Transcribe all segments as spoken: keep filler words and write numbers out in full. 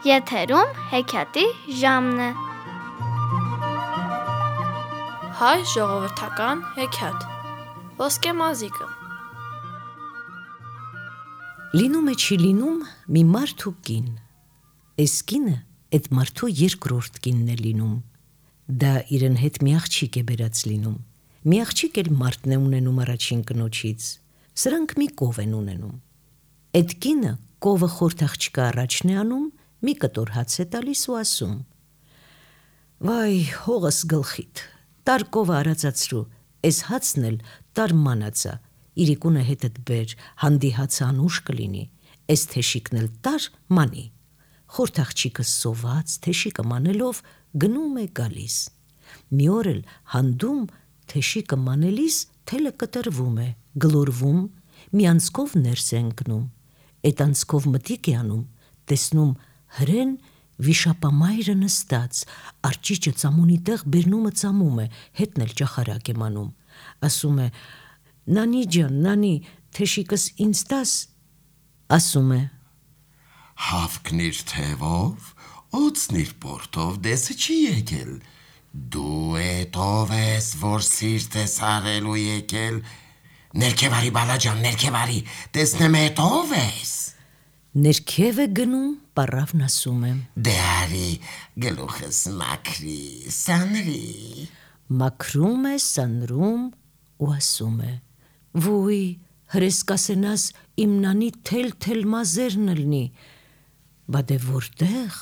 Եթերում հեքիաթի ժամն է։ Հայ ժողովրդական հեքիաթ Ոսկե մազիկը։ Լինում է չի լինում մի մարդ ու կին։ Էս կինը էդ մարդու երկրորդ կինն է լինում։ Դա իրեն հետ մի աղջիկ է բերած լինում։ Մի աղջիկ էլ մարդն է ունենում առաջին կնոջից։ Սրանք մի կով են ունենում։ Էդ կինը կովը խորթ աղջկա առաջն է անում, մի կտոր հաց է տալիս ու ասում. «Վայ, հողս գլխիդ, տար կովը արածացրու, էս հացն էլ տար մանացա, իրիկունը հետդ բեր, հանդի հացը անուշ կլինի, էս թեշիկն էլ տար մանի»։ Խորթ աղջիկը սոված, թեշիկը մանելով գնում է գալիս։ Մի օր էլ հանդում թեշիկը մանելիս թելը կտրվում է, գլորվում, մի անցքով ներս է ընկնում։ Էդ անցքով մտիկ է անում, տեսնում հրեն վիշապամայրը նստած, արջիճը ծամոնի տեղ բերնումը ծամում է, հետն էլ ճախարակ է մանում։ Ասում է. «Նանի ջան, նանի, թեշիկս ինձ տաս»։ Ասում է. «Հավքնիր թևով, օծնիր պորտով, դեսը չի եկել, դու էդ ով ես, որ սիրտ ես արելու եկել, ներքև արի բալաջան, ներքև արի, տեսնեմ էդ ով ես»։ Ներքև է գնում, պառավն ասում է. «Դե արի, գլուխս մաքրի, սանրի»։ Մաքրում է, սանրում ու ասում է. «Վույ, հրես կասենաս իմ նանի թել-թել մազերն ըլնի»։ Բա դե որտեղ,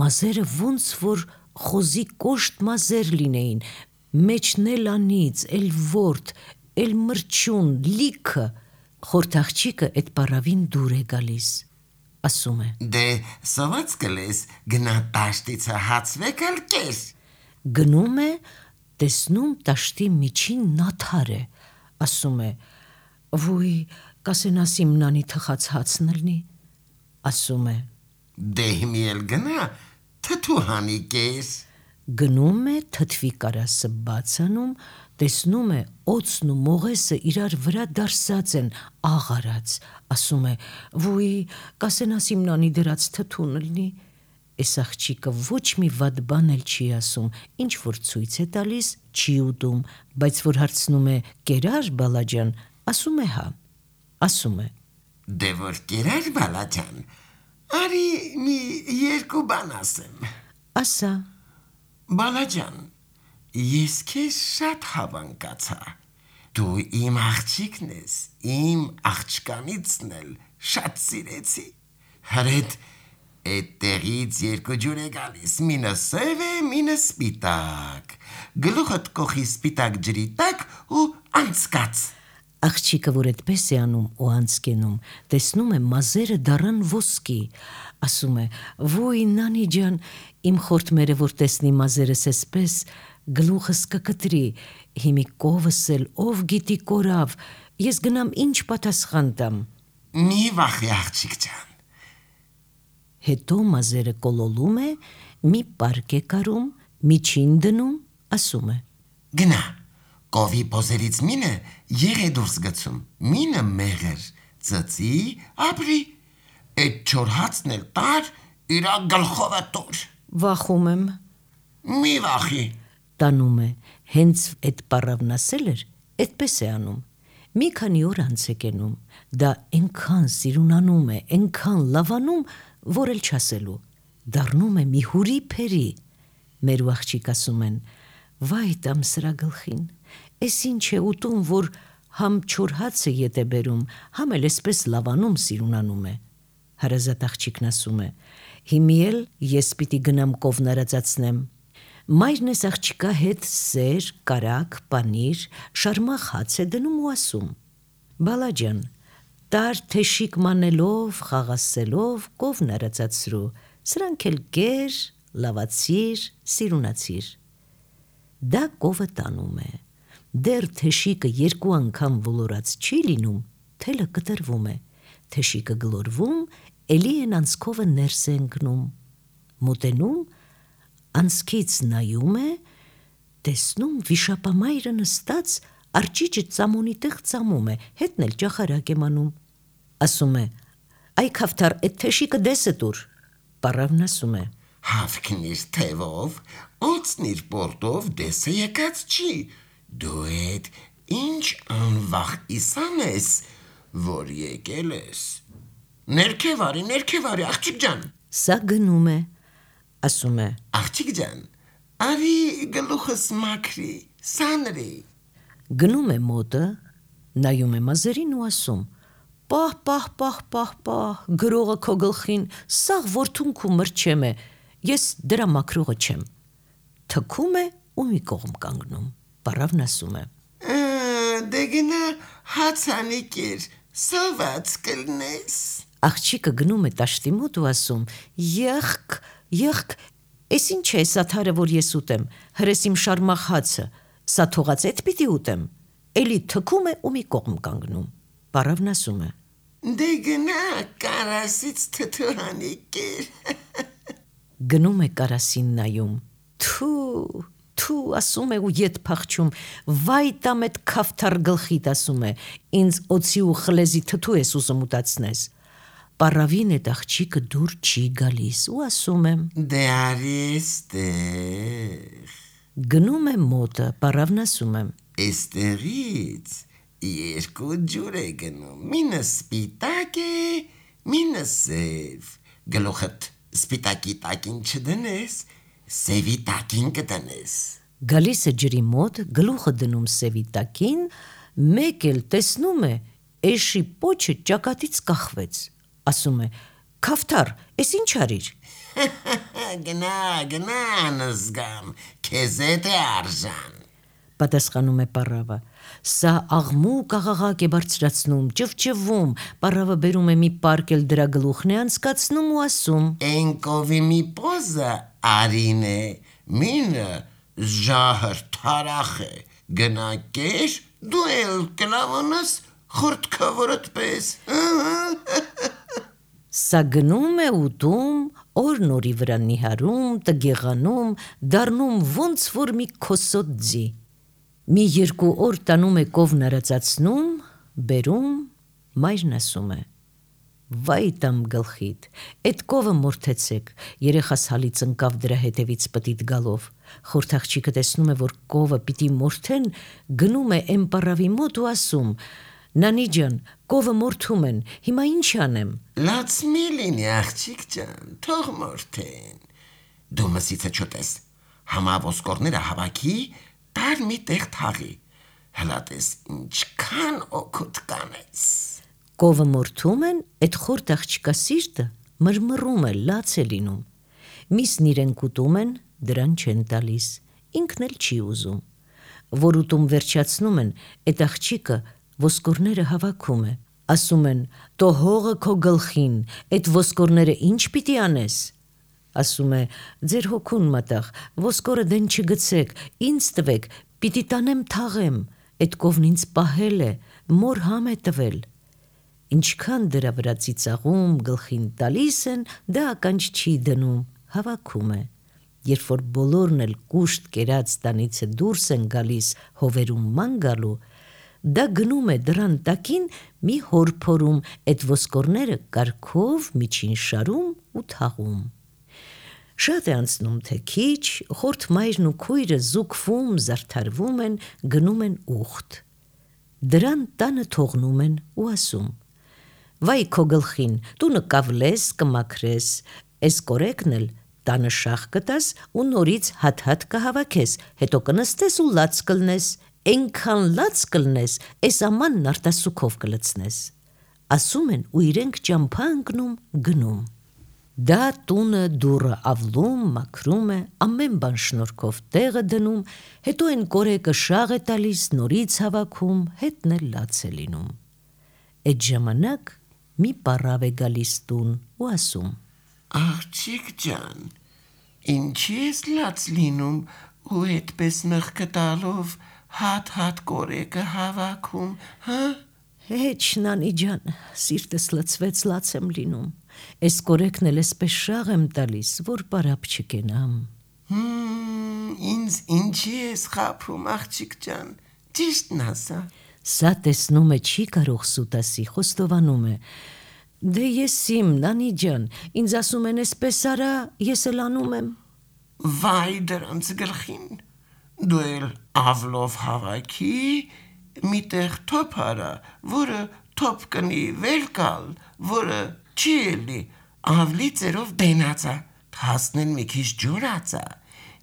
մազերը ոնց որ խոզի կոշտ մազեր լինեին, մեջն էլ անիծ, էլ ворդ, էլ մրջուն, լիքը։ Խորթ աղջիկը էդ պառավին դուր է գալիս։ Ասում է. «Դե սոված կլես, գնա տաշտիցը հացվեք ալ կես»։ Գնում է, տեսնում տաշտի միջին նաթար է։ Ասում է. «Վույ, կասենաս իմ նանի թխած հացն ըլնի»։ Ասում է. «Դե հիմի էլ գնա, թթու հանի կես»։ Գնում է, թթվի կարասը բաց անում, տեսնում է օծն ու մողեսը իրար վրա դարսած են, աղարած։ Ասում է. «Վույ, կասենաս իմ նանի դրած թթուն ըլնի»։ Էս աղջիկը ոչ մի վատ բան էլ չի ասում, ինչ որ ցույց է տալիս, չի ուտում, բայց որ հարցնում է. «Կերա՞ր բալաջան», ասում է հա։ Ասում է. «Դե որ կերար բալաջան, արի մի երկու բան ասեմ»։ Ասա. «Բալաջան, ես քեզ շատ հավանկացա, դու իմ աղջիկն ես, իմ աղջկանիցն էլ շատ սիրեցի, հրեդ էդ տեղից երկու ջուր է գալիս, մինը սև է, մինը սպիտակ, գլուխդ կոխի սպիտակ ջրի տակ ու անցկաց»։ Աղջիկը, որ էդպես է անում ու անցկենում, տեսնում է մազերը դառան ոսկի։ Ասում է. «Վույ, նանի ջան, իմ խորթմերը որ տեսնի մազերս էսպես, գլուխս կկտրի, հիմի կովս էլ ով գիտի կորավ, ես գնամ ինչ պատասխան տամ»։ «Մի վախի աղջիկ ջան»։ Հետո մազերը կոլոլում է, մի պարկ է կարում, միջին դնում, ասում է. «Գնա, կովի պոզերից մինը եղ է դուրս գցում, մինը մեղր, ծծի, ապրի, էդ չոր հացն էլ տար, իրա գլխովը տուր»։ Վախում եմ։ «Մի վախի»։ Տանում է, հենց էդ պառավն ասել էր, էդպես է անում։ Մի քանի օր անց է կենում, դա էնքան սիրունանում է, էնքան լավանում, որ էլ չասելու, դառնում է մի հուրի փերի։ Մեր ու աղջիկ ասում են. «Վայ տամ սրա գլխին, էս ինչ է ուտում, որ համ չոր հացը ետ է բերում, համ էլ էսպես լավանում սիրունանում է»։ Հարազատ աղջիկն ասում է. «Հիմի էլ ես պիտի գնամ կովն արածացնեմ»։ Մայրն էս աղջիկա հետ սեր, կարագ, պանիր, շարմախ հաց է դնում ու ասում. «Բալաջան, տար թեշիկ մանելով, խաղասելով, կովն արածացրու, սրանք էլ կեր, լավացիր, սիրունացիր»։ Դա կովը տանում է, դեռ թեշիկը երկու անգամ ոլորած չի լինում, թելը կտրվում է, թեշիկը գլորվում, էլի են անցքովը ներս է ընկնում, մոտենում, անցքից նայում է, տեսնում վիշապամայրը նստած, արջիճը ծամոնի տեղ ծամում է, հետն էլ ճախարակ է մանում։ Ասում է. «Այ քավթար, էդ թեշիկը դեսը տուր»։ Պարավն ասում է. Հավքնիր թևով, օծնիր պորտով, դեսը եկած չի, դու էդ ինչ անվախ իսան ես, որ եկել ես, ներքև արի, ներքև արի, աղջիկ ջան, սա գնում է, ասում է. աղջիկ ջան, արի գլուխս մաքրի, սանրի, գնում է մոտը, նայում է մազերին ու ասում. պահ, պահ, պահ, պահ, պահ, գրողը քո գլխին, սաղ որդունք ու մրջեմ է, ես դրա մաքրողը չեմ, թքում է ու մի կողմ կանգնում, պարավն ասում է. դե գնա հացանիկիր, սոված կլնես, աղջիկը գնում է տաշտի մոտ ու ասում. եղք, եղք, ես ինչ է սա թարը, որ ես ուտեմ, հրես իմ շարմախ հացը, սա թողած էդ պիտի ուտեմ, էլի թքում է ու մի կողմ կանգնում, պարավն ասում է. դե գնա կարասից թթուհանիկիր, գնում է կարասին նայում, թու, թու, ասում է ու ետ փախչում, վայ տամ էդ քավթար գլխիդ, ասում է, ինձ օծի ու խլեզի թթու ես ուզում ուտացնես, պարավին էդ աղջիկը դուր չի գալիս ու ասում եմ. դե արի էստեղ, գնում է մոտը, պարավն ասում եմ. էստեղից երկու ջուր է գնում, մինը սպիտակ է, մինը սև, գլուխդ սպիտակի տակին չդնես, սևի տակին կդնես, գալիս է ջրի մոտ, գլուխը դնում սևի տակին, մեկ էլ տեսնում է, էշի պոչը ճակատից կախվեց, ասում է. քավթար, ես ինչ արիր, գնա, գնա նզգամ, քեզ էդ է արժան, պատասխանում է պարավը, սա աղմուկ աղաղակ է բարձրացնում, ճվճվում, պարավը բերում է մի պարկել դրա գլուխն է անցկացնում ու ասում. Ենկովի մի պոզը արին է, մինը ժահր թարախ է, գնա կեր, դու էլ կլավոնս խորտքավորդ պես, սա գնում է ուտում, օր-նորի վրա նիհարում, տգեղանում, դառնում ոնց որ մի քոսոտ ձի, մի երկու օր տանում է կովն արածացնում, բերում, մայրն ասում է. վայ տամ գլխիդ, էդ կովը մորթեցեք, երեխաս հալից ընկավ դրա հետևից պտիտ գալով, խորթ աղջիկը տեսնում է, որ կովը պիտի մորթեն, գնում է էն պարավի մոտ ու ասում. նանի ջան, կովը մորթում են, հիմա ինչ անեմ, լաց մի լինի աղջիկ ջան, թող մորթեն, դու մսիցը չոտես, համա ոսկորները հավաքի, տար մի տեղ թաղի, հլատես ինչքան օգուտ կանես, կովը մորթում են, էդ խորթ աղջիկա սիրտը մրմռում է, լաց է լինում, միսն իրեն կուտում են, դրան չեն տալիս, ինքն էլ չի ուզում, որ ուտում վերջացնում են, էդ աղջիկը ոսկորները հավաքում է, ասում են. տո հողը քո գլխին, էդ ոսկորները ինչ պիտի անես, ասում է. ձեր հոգուն մատաղ, ոսկորը դեն չգցեք, ինձ տվեք, պիտի տանեմ թաղեմ, էդ կովն ինձ պահել է, մոր համ է տվել, ինչքան դրա վրա ծիծաղում, գլխին տալիս են, դա ականջ չի դնում, հավաքում է, երբ որ բոլորն էլ կուշտ կերած տանիցը դուրս են գալիս հովերում ման գալու, դա գնում է դրան տակին մի հորփորում, էդ ոսկորները կարգով միջին շարում ու թաղում, շատ է անցնում թե քիչ, խորթ մայրն ու քույրը զուգվում, զարդարվում են, գնում են ուխտ, դրան տանը թողնում են ու ասում. վայ քո գլխին, տունը կավլես, կմաքրես, էս կորեկն էլ տանը շաղ կտաս ու նորից հատ-հատ կհավաքես, հետո կնստես ու լաց կլնես, էնքան լաց կլնես, էս ամանն արտասուքով կլցնես, ասում են ու իրենք ճամփա ընկնում, գնում, դա տունը դուռը ավլում, մաքրում է, ամեն բան շնորհքով տեղը դնում, հետո են կորեկը շաղ է տալիս, նորից հավաքում, հետն էլ լաց է լինում, էդ ժամանակ մի պարավ է գալիս տուն ու ասում. աղջիկ ջան, ինչի ես լաց լինում ու այդպես մեղքը տալով հատ-հատ կորեկը հավաքում, հա? Հեչ նանի ջան, սիրտս լցվեց, լաց եմ լինում, էս կորեկն էլ էսպես շաղ եմ տալիս, որ պարապ չկենամ, Հմ, ինձ ինչի ես խաբում, աղջիկ ջան, ճիշտն ասա, սա տեսնում է չի կարող սուտ ասի, խոստովանում է, Դե ես իմ, նանի ջան, ինձ ասում են էսպես արա, ես էլ անում եմ։ Վայ դրանց գլխին, դու էլ ավլով հավաքի, միտեղ թոփ արա, որը թոփ կնի վերկալ, որը չի էլի, ավլի ծերով դենացա, հասնեն մի քիչ ջորացա,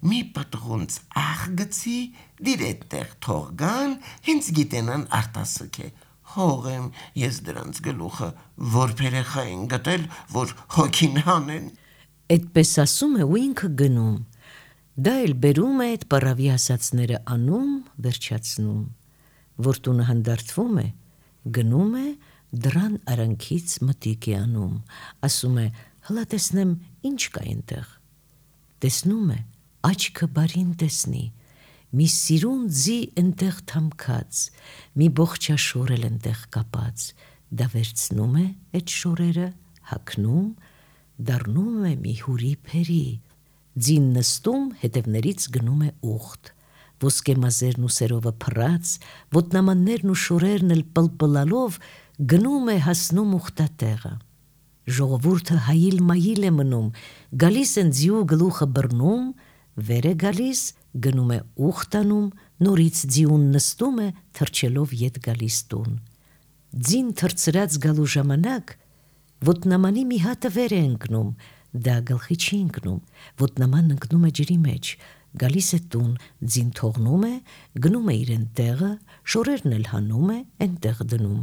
մի պտղունց աղ գցի, դիրետ տեղ թողգան, հենց գիտենան արտասուք է, հող եմ ես դրանց գլուխը, որ պերեխա են գտել, որ հոգին հանեն։ Էդպես ասում է ու ինքը գնում, դա էլ բերում է այդ պարավի ասածները անում, վերջացնում, որ տունը հանդարտվում է, գնում է, դրան արանքից մտիկ է անում, ասում է, հլա տեսնեմ ինչ կա այնտեղ, տեսնում է, աչքը բարին տեսնի, մի սիրուն ձի ընտեղ թամքած, մի բողջա շորել ընտեղ կապած, դա վերցնում է այդ շորերը, հագնում, դառնում է մի հուրի փերի, ձին նստում, հետևներից գնում է ուխտ, ոսկեմազերն ու սերովը փռած, ոտնամաններն ու շորերն էլ պլպլալով գնում է հասնում ուխտատեղը, ժողովուրդը հայիլ մայիլ է մնում, գալիս են ձիու գլուխը բռնում, վեր է գալիս, գնում է ուխտանում, նորից ձիուն նստում է, թրջելով ետ գալիս տուն, ձին թրծրած գալու ժամանակ, ոտնամանի մի հատը վեր է ընկնում, դա գլխի չի ընկնում, ոտնամանն ընկնում է ջրի մեջ, գալիս է տուն, ձին թողնում է, գնում է իրեն տեղը, շորերն էլ հանում է, այնտեղ դնում,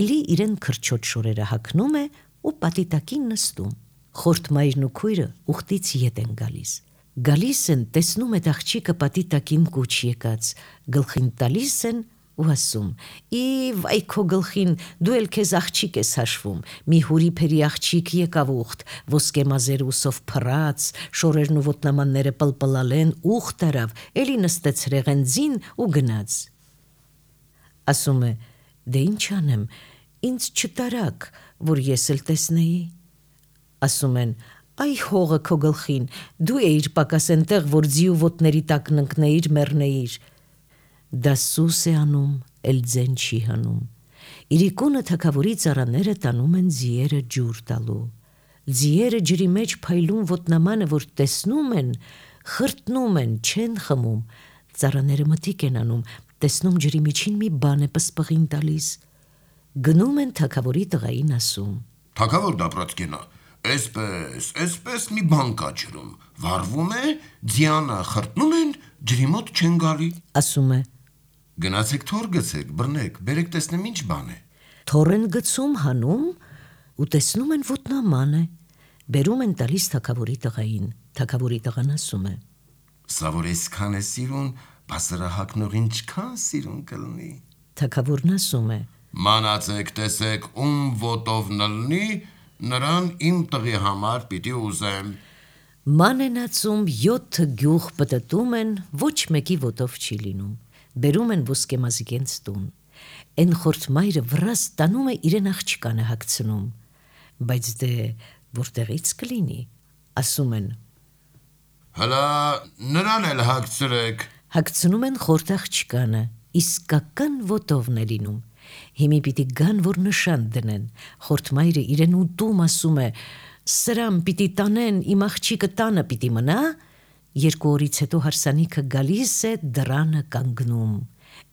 էլի իրեն քրչոտ շորերը հագնում է ու պատիտակին նստում, խորտ մայրն ու քույրը ուխտից ետ են գալիս, գալիս են, տեսնում է աղջիկը պատիտակին կուչ եկած, գլխին տալիս են ու ասում, ի վայ քո գլխին, դու էլ քեզ աղջիկ ես հաշվում, մի հուրի փերի աղջիկ եկավ ուխտ, ոսկեմազեր ուսով փռած, շորերն ու ոտնամանները պլպլալեն, ուխտ արավ, էլի նստեց ռեղենձին ու գնաց։ Ասում է, դե ինչ անեմ, ինձ չտարակ, որ ես էլ տեսնեի։ Ասում են, այ հողը քո գլխին, դու էիր պակաս ենտեղ, որ ձիու ոտների տակ ննկնեիր, մեռնեիր։ Դա սուս է անում, էլ ձեն չի հանում։ Իրիկունը թագավորի ծառաները տանում են ձիերը ջուր տալու։ Ձիերը ջրի մեջ փայլում ոտնամանը, որ տեսնում են, խրտնում են, չեն խմում։ Ծառաները մտիկ են անում, տեսնում ջրի միջին մի բան է պսպղին տալիս։ Գնում են թագավորի տղային ասում. Թագավոր դապրոցկենա, Էսպես, էսպես մի բան կա ջրում, վառվում է, ձյանը խրտնում են, ջրի մոտ չեն գալի։ Ասում է. Գնացեք թոր գցեք, բռնեք, բերեք տեսնեմ ինչ բան է։ Թոր են գցում, հանում ու տեսնում են ոտնաման է, բերում են տալիս թագավորի տղային, թագավորի տղան ասում է. Սա որ այսքան է սիրուն, բասրահակնող ինչքան սիրուն կլնի։ Թագավորն ասում է. Մանացեք, տեսեք, ում ոտով նլնի, նրան իմ տղի համար պիտի ուզեմ։ Ման են ածում, յոթ գյուղ պտտում են, ոչ մեկի ոտով չի լինում, բերում են ոսկեմազիկենց տուն, են խորտ մայրը վրաս տանում է իրեն աղջկանը հագցնում, բայց դե որտեղից կլինի, ասում են. Հլա նրան էլ հագցրեք։ Հագցնում են խորտ աղջկանը, իսկական ոտովն է լինում, հիմի պիտի գան, որ նշան դնեն, խորտ մայրը իրեն ուտում ասում է, սրամ պիտի տանեն, իմ աղջիկը տանը պիտի մնա, երկու օրից հետո հարսանիքը գալիս է, դրանը կանգնում,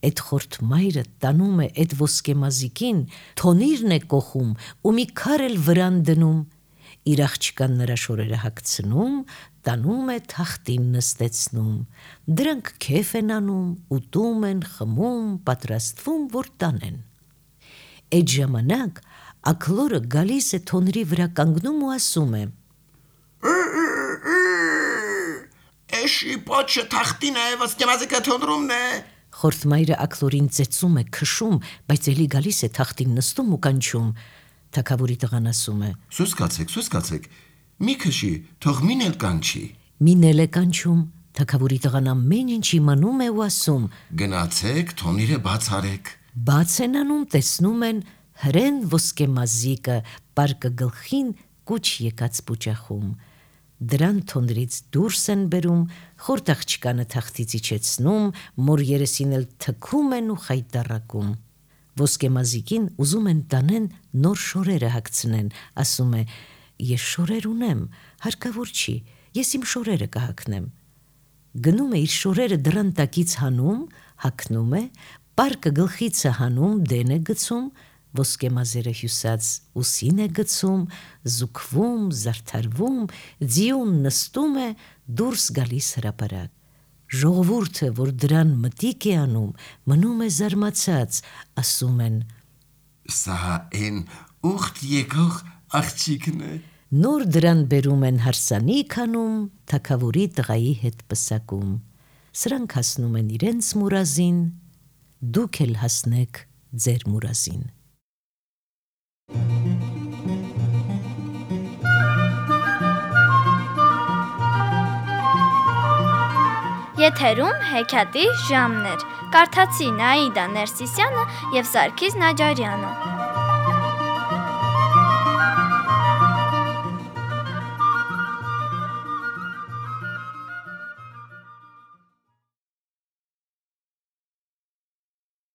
այդ խորտ մայրը տանում է այդ ոսկեմազիկին, թոնիրն է կոխում ու մի քար էլ վրան դնում, իր աղջկան նրա շորերը հագցնում, տանում է թախտին նստեցնում, դրանք քեֆ են անում, ուտում են, խմում, պատրաստվում, որ տանեն։ Այդ ժամանակ աքլորը գալիս է թոնրի վրա կանգնում ու ասում է. Էշի պոչը թախտին է, ոսկեմազիկը թոնրումն է։ Խորտ մայրը աքլորին ծեծում է, քշում, բայց էլի գալիս է թախտին նստում ու կանչում։ Թագավորի տղան ասում է. Սուս կացեք, սուս կացեք, մի քշի, թող մին էլ կանչի։ Մին էլ է կանչում, թագավորի տղան ամեն ինչ իմանում է ու ասում. Գնացեք, թոնիրը բաց արեք։ Բաց են անում, տեսնում են, հրեն ոսկեմազիկը պարկը գլխին կուչ եկած պուճախում։ Դրան թոնրից դուրս են բերում, խորտ աղջկանը թախտից իջեցնում, մոր երեսին էլ թքում են ու խայտառակում։ Ոսկեմազիկին ուզում են տանեն նոր շորերը հագցնեն, ասում է. «Ես շորեր ունեմ, հարկավոր չի, ես իմ շորերը կհագնեմ»։ Գնում է իր շորերը դռան տակից հանում, հագնում է, պարկը գլխիցը հանում, դեն է գցում, ոսկեմազերը հյուսած ուսին է գցում, զուգվում, զարդարվում, ձիուն նստում է, դուրս գալիս հրապարակ։ Ժողովուրդը, որ դրան մտիկ է անում, մնում է զարմացած, ասում են. Սա այն ուխտ եկող աղջիկն է։ Նոր դրան բերում են հարսանիք անում, թագավորի տղայի հետ պսակում։ Սրանք հասնում են իրենց մուրազին, դուք էլ հասնեք ձեր մուրազին։ Եթերում հեքիաթի ժամն էր։ Կարդացի Նաիդա Ներսիսյանը և Սարգիս Նաջարյանը։